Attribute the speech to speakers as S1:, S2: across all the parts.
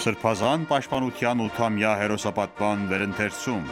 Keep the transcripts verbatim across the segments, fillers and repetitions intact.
S1: Սրբազան պաշտպանության ութամյա հերոսապատման վերընթերցում։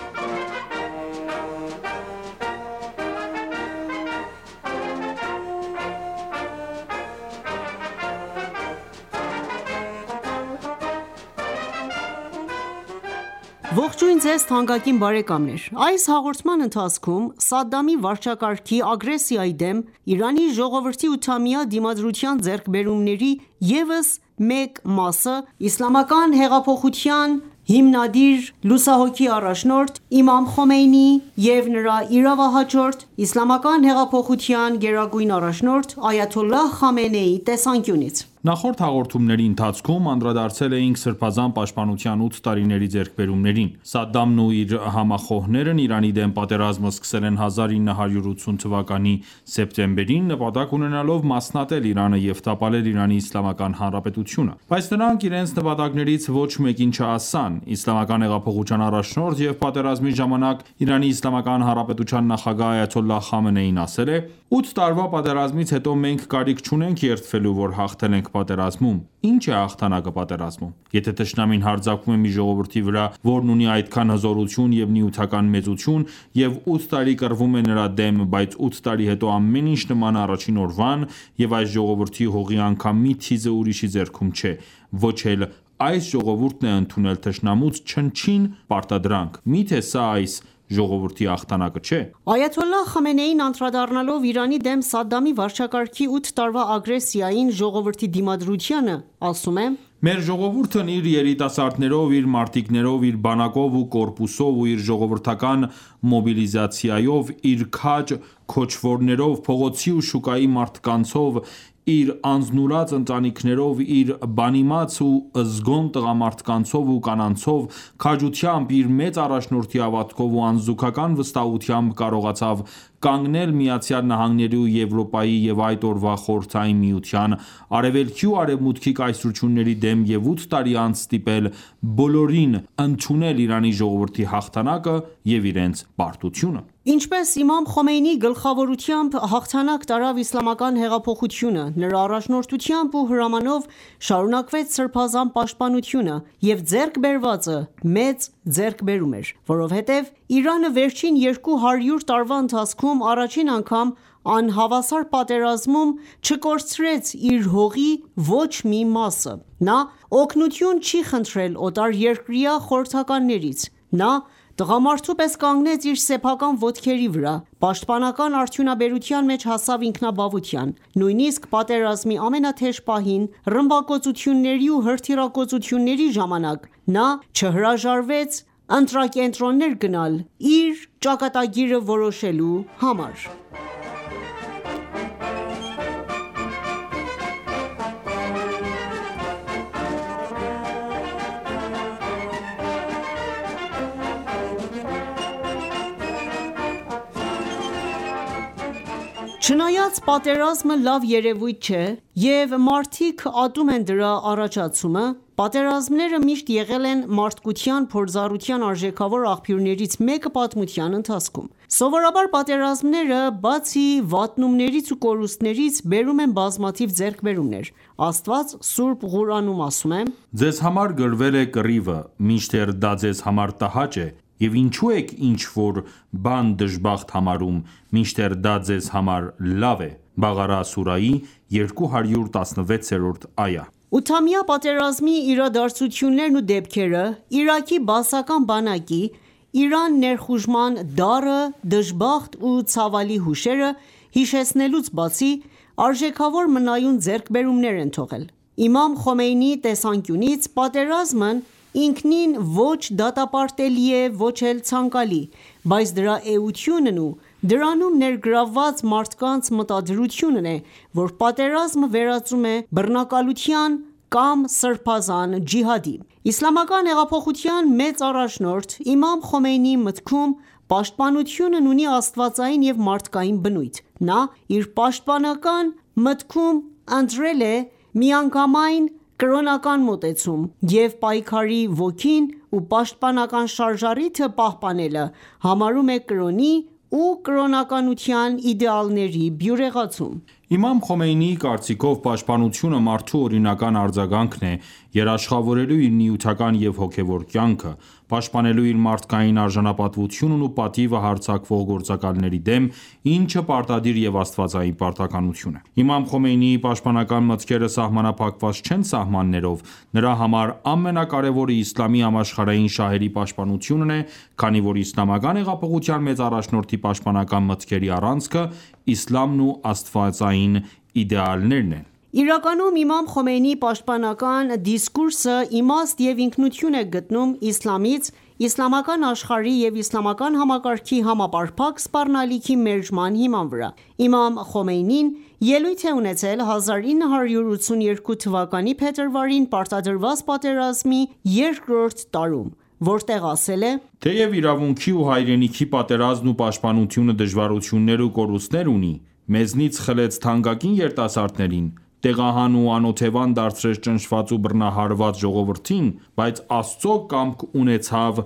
S2: Ողջույն ձեզ թանկագին բարեկամներ: Այս հաղորդման ընթացքում Սադամի վարչակարգի ագրեսիայի դեմ Իրանի ժողովրդի ութամյա դիմադրության ձեռքբերումների ևս մեկ մասը Իսլամական հեղափոխության հիմնադիր լուսահոգի առաջնորդ իմամ Խոմեյնիի և նրա իրավահաջորդ Իսլամական հեղափոխության գերագույն առաջնորդ այաթոլլահ Խամենեիի տեսանկյունից:
S3: Նախորդ հաղորդումների ընթացքում անդրադարձել էինք Սրբազան պաշտպանության ութ տարիների ձեռքբերումներին։ Սադամն ու իր համախոհներն Իրանի դեմ պատերազմը սկսել են հազար ինը հարյուր ութսուն թվականի սեպտեմբերին՝ նպատակ ունենալով մասնատել Իրանը և տապալել Իրանի Իսլամական Հանրապետությունը։ Բայց նրանք իրենց նպատակներից ոչ մեկին չհասան։ Իսլամական հեղափոխության առաջնորդ և պատերազմի ժամանակ Իրանի Իսլամական Հանրապետության նախագահ այաթոլլահ Խամենեին ասել է. «Ութ տարվա պատերազմից հետո մենք կարիք չունենք երդվելու, որ հաղթել ենք պատերազմում։ Ինչ է հաղթանակը պատերազմում։ Եթե թշնամին հարձակվում է մի ժողովրդի վրա, որն ունի այդքան հզորություն և նյութական մեծություն, և ութ տարի կռվում է նրա դեմ, բայց ութ տարի հետո ամեն ինչ նման է առաջին օրվան, և այս ժողովրդի հողի անգամ մի թիզը ուրիշի ձեռքում չէ, ոչ էլ այս ժողովուրդն է ընդունել թշնամուց չնչին պարտադրանք, միթե սա այս ժողովրդի հաղթանակը չէ»։
S2: Այաթոլլահ Խամենեին անդրադառնալով Իրանի դեմ Սադամի վարչակարգի ութ տարվա ագրեսիային, ժողովրդի դիմադրությանը, ասում է.
S3: «Մեր ժողովուրդն իր երիտասարդներով, իր մարտիկներով, իր բանակով ու կորպուսով ու իր ժողովրդական մոբիլիզացիայով, իր քաջ քոչվորներով, փողոցի ու շուկայի մարդկանցով, իր անձնուրաց ընտանիքներով, իր բանիմաց ու զգոն տղամարդկանցով ու կանանցով, քաջությամբ, իր մեծ առաջնորդի հավատքով ու անզուգական վստահությամբ կարողացավ կանգնել ԱՄՆ-ի ու Եվրոպայի և այդ օրվա Խորհրդային Միության, Արևելքի ու Արևմուտքի կայսրությունների դեմ և ութ տարի անց ստիպել բոլորին ընդունել Իրանի ժողովրդի հաղթանակը և իրենց պարտությունը»։
S2: Ինչպես իմամ Խոմեյնիի գլխավորությամբ հաղթանակ տարավ Իսլամական հեղափոխությունը, նրա առաջնորդությամբ ու հրամանով շարունակվեց Սրբազան պաշտպանությունը, և ձեռք բերվածը մեծ ձեռքբերում էր, որովհետև Իրանը վերջին երկու հարյուր տարվա ընթացքում առաջին անգամ անհավասար պատերազմում չկորցրեց իր հողի ոչ մի մասը։ Նա օգնություն չի խնդրել օտարերկրյա խորհրդականներից։ Նա տղամարդու պես կանգնեց իր սեփական ոտքերի վրա, պաշտպանական արդյունաբերության մեջ հասավ ինքնաբավության, նույնիսկ պատերազմի ամենաթեժ պահին, ռմբակոծությունների ու հրթիռակոծությունների ժամանակ նա չհրաժարվեց ընտրակենտրոններ գնալ իր ճակատագիրը որոշելու համար։ Չնայած պատերազմը լավ երևույթ չէ և մարդիկ ատում են դրա առաջացումը, պատերազմները միշտ եղել են մարդկության փորձառության արժեքավոր աղբյուրներից մեկը պատմության ընթացքում։ Սովորաբար պատերազմները, բացի վատնումներից ու կորուստներից, բերում են բազմաթիվ ձեռքբերումներ։ Աստված Սուրբ Ղուրանում ասում է.
S3: «Ձեզ համար գրվել է կռիվը, մինչդեռ դա ձեզ համար տհաճ է, և ինչու եք ինչ-որ բան դժբախտ համարում, մինչդեռ դա ձեզ համար լավ է»։ Բաղարա սուրայի երկու հարյուր տասնվեցերորդ այա։
S2: Ութամյա պատերազմի իրադարձություններն ու դեպքերը, Իրաքի բաասական բանակի Իրան ներխուժման դառը, դժբախտ ու ցավալի հուշերը հիշեցնելուց բացի, արժեքավոր մնայուն ձեռքբերումներ են թողել։ Իմամ Խոմեյնիի տեսանկյունից պատերազմն ինքնին ոչ դատապարտելի է, ոչ էլ ցանկալի, բայց դրա էությունն ու դրանում ներգրավված մարդկանց մտադրությունն է, որ պատերազմը վերածում է բռնակալության կամ սրբազան ջիհադի։ Իսլամական հեղափոխության մեծ առաջնորդ իմամ Խոմեյնիի մտքում պաշտպանությունն ունի աստվածային և մարդկային բնույթ։ Նա իր պաշտպանական մտքում ընտրել է միանգամայն կրոնական մոտեցում և պայքարի ոգին ու պաշտպանական շարժառիթը պահպանելը համարում է կրոնի ու կրոնականության իդեալների բյուրեղացում։
S3: Իմամ Խոմեյնիի կարծիքով պաշտպանությունը մարդու օրինական արձագանքն է՝ երաշխավորելու իր նյութական և հոգևոր կյանքը, պաշտպանելու իր մարդկային արժանապատվությունն ու պատիվը հարձակվող գործակալների դեմ, ինչը պարտադիր և աստվածային պարտականություն է: Իմամ Խոմեյնիի պաշտպանական մտքերը սահմանափակված չեն սահմաններով, նրա համար ամենակարևորը իսլամի համաշխարհային շահերի պաշտպանությունն է, քանի որ իսլամական հեղափոխության մեծ առաջնորդի պաշտպանական մտքերի առանցքը իսլամն ու աստվածային իդեալներն են:
S2: Իրականում իմամ Խոմեյնիի պաշտպանական դիսկուրսը իմաստ և ինքնություն է գտնում իսլամից, իսլամական աշխարհի և իսլամական համակարգի համապարփակ սպառնալիքի մերժման հիման վրա: Իմամ Խոմեյնին ելույթ է ունեցել հազար ինը հարյուր ութսուներկու թվականի փետրվարին պարտադրված պատերազմի երկրորդ տարում, որտեղ ասել է.
S3: «Թեև իրավունքի ու հայրենիքի պատերազմն ու պաշտպանությունը դժվարություններ ու կորուստներ ունի, մեզնից խլեց թանկագին երիտասարդներին, տեղահան ու անօթևան դարձրեց ճնշված ու բռնահարված ժողովրդին, բայց Աստծո կամք ունեցավ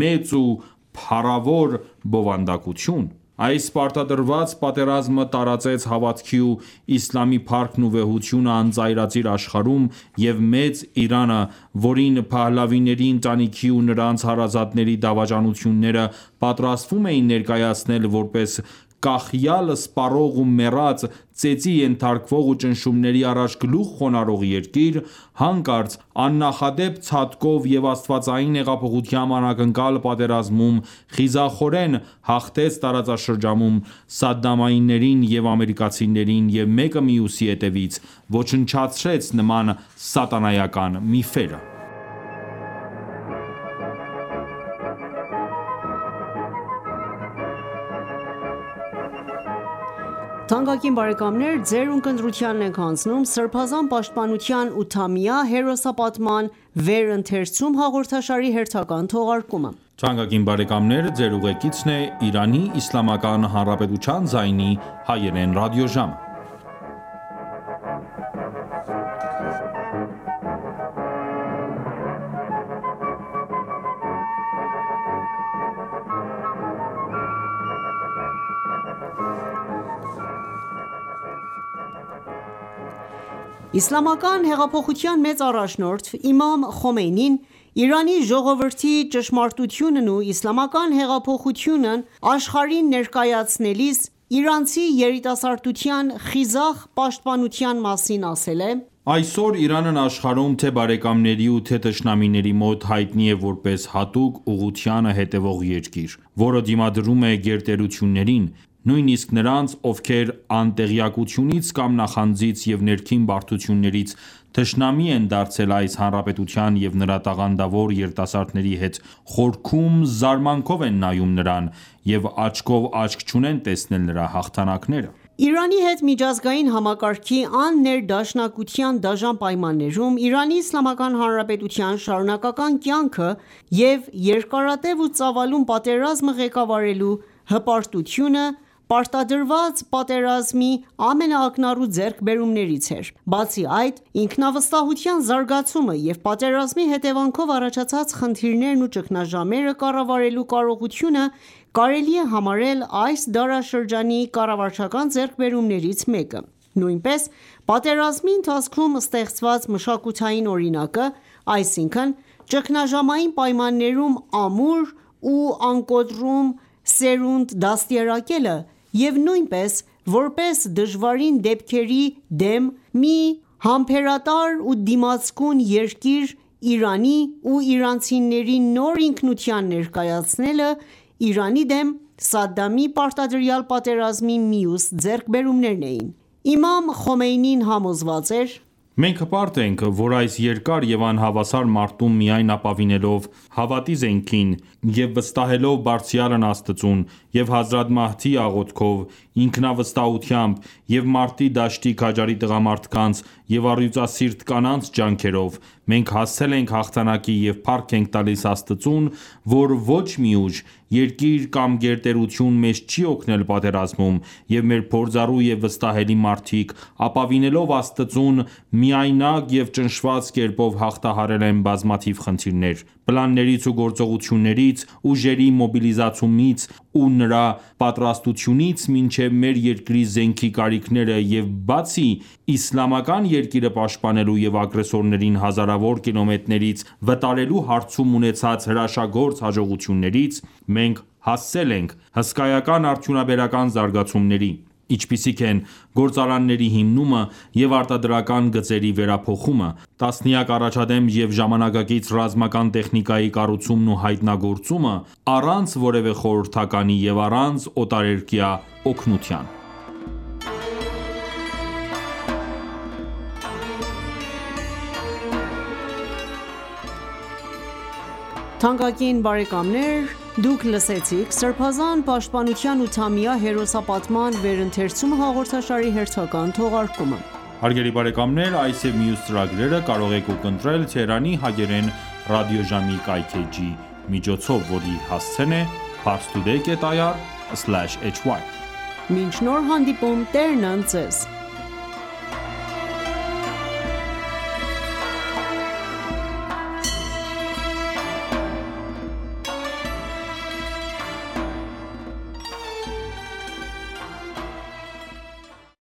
S3: մեծ ու փառավոր բովանդակություն: Այս պարտադրված պատերազմը տարածեց հավատքի ու իսլամի փառքն ու վեհությունը անծայրածիր աշխարհում և մեծ Իրանը, որին Փահլավիների ընտանիքի ու նրանց հարազատների դավաճանությունները պատրաստվում էին ներկայացնել որպես կախյալ սպառող ու մեռած, ծեծի ենթարկվող ու ճնշումների առաջ գլուխ խոնարհող երկիր, հանկարծ աննախադեպ ցատկով և աստվածային հեղափոխությամբ անակնկալ պատերազմում խիզախորեն հաղթեց տարածաշրջանում սադամայիններին և ամերիկացիներին և մեկը մյուսի հետևից ոչնչացրեց նման սատանայական միֆերը»:
S2: Իսլամական հեղափոխության մեծ առաջնորդ իմամ Խոմեյնին Իրանի ժողովրդի ճշմարտությունն ու իսլամական հեղափոխությունն աշխարհին ներկայացնելիս իրանցի երիտասարդության խիզախ պաշտպանության մասին ասել է.
S3: «Այսօր Իրանն աշխարհում թե՛ բարեկամների ու թե՛ թշնամիների մոտ հայտնի է որպես հատուկ ուղղությանը հետևող երկիր, որը դիմադրում է գերտերություններին, նույնիսկ նրանց, ովքեր անտեղյակությունից կամ նախանձից և ներքին բարդություններից թշնամի են դարձել այս հանրապետության և նրա տաղանդավոր երիտասարդների հետ խորքում զարմանքով են նայում նրան և աչքով աչք չունեն տեսնել նրա հաղթանակները»:
S2: Իրանի հետ միջազգային համակարգի աններդաշնակության դաժան պայմաններում Իրանի Իսլամական Հանրապետության շարունակական կյանքը և երկարատև ու ծավալուն պատերազմը ղեկավարելու հպարտությունը պարտադրված պատերազմի ամենաակնառու ձեռքբերումներից էր: Բացի այդ, ինքնավստահության զարգացումը և պատերազմի հետևանքով առաջացած խնդիրներն ու ճգնաժամերը կառավարելու կարողությունը կարելի է համարել այս դարաշրջանի կառավարչական ձեռքբերումներից մեկը: Նույնպես պատերազմի ընթացքում ստեղծված մշակութային օրինակը, այսինքն ճգնաժամային պայմաններում ամուր ու անկոտրում սերունդ դաստիարակելը և նույնպես որպես դժվարին դեպքերի դեմ մի համբերատար ու դիմացկուն երկիր Իրանի ու իրանցիների նոր ինքնության ներկայացնելը Իրանի դեմ Սադամի պարտադրյալ պատերազմի մյուս ձեռքբերումներն էին: Իմամ Խոմեյնին համոզված էր.
S3: «Մենք հպարտ ենք, որ այս երկար և անհավասար մարտում միայն ապավինելով հավատի զենքին և վստահելով Բարձրյալն Աստծուն և Հազրաթ Մահդիի աղոթքով, ինքնավստահությամբ և մարտի դաշտի քաջարի տղամարդկանց և առյուծասիրտ կանանց ջանքերով Մենք հասցել ենք հաղթանակի և փառք ենք տալիս Աստծուն, որ ոչ մի ուժ, երկիր կամ գերտերություն մեզ չի օգնել պատերազմում, և մեր փորձառու և վստահելի մարդիկ, ապավինելով Աստծուն, միայնակ և ճնշված կերպով հաղթահարել են բազմաթիվ խնդիրներ: Պլաններից ու գործողություններից, ուժերի մոբիլիզացումից ու նրա պատրաստությունից մինչև մեր երկրի զենքի կարիքները և բացի իսլամական երկիրը պաշտպանելու և ագրեսորներին հազարավոր կիլոմետրերից վտարելու հարցում ունեցած հրաշագործ հաջողություններից, մենք հասցել ենք հսկայական արդյունաբերական զարգացումների, ինչպիսիք են գործարանների հիմնումը և արտադրական գծերի վերափոխումը, տասնյակ առաջադեմ և ժամանակակից ռազմական տեխնիկայի կառուցումն ու հայտնագործումը, առանց որևէ խորհրդականի և առանց օտարերկրյա օգնության:
S2: Թանկագին բարեկամներ դուք լսեցիք «Սրբազան պաշտպանության ութամյա հերոսապատման վերընթերցումը» հաղորդաշարի հերթական թողարկումը:
S3: Հարգելի բարեկամներ այս և մյուս ծրագրերը կարող եք ունկնդրել Թեհրանի հակերեն ռադիոժամի կայքէջի միջոցով, որի հասցեն է parstoday.ir/hy: Մինչ նոր հանդիպում Տերն ընդ Ձեզ: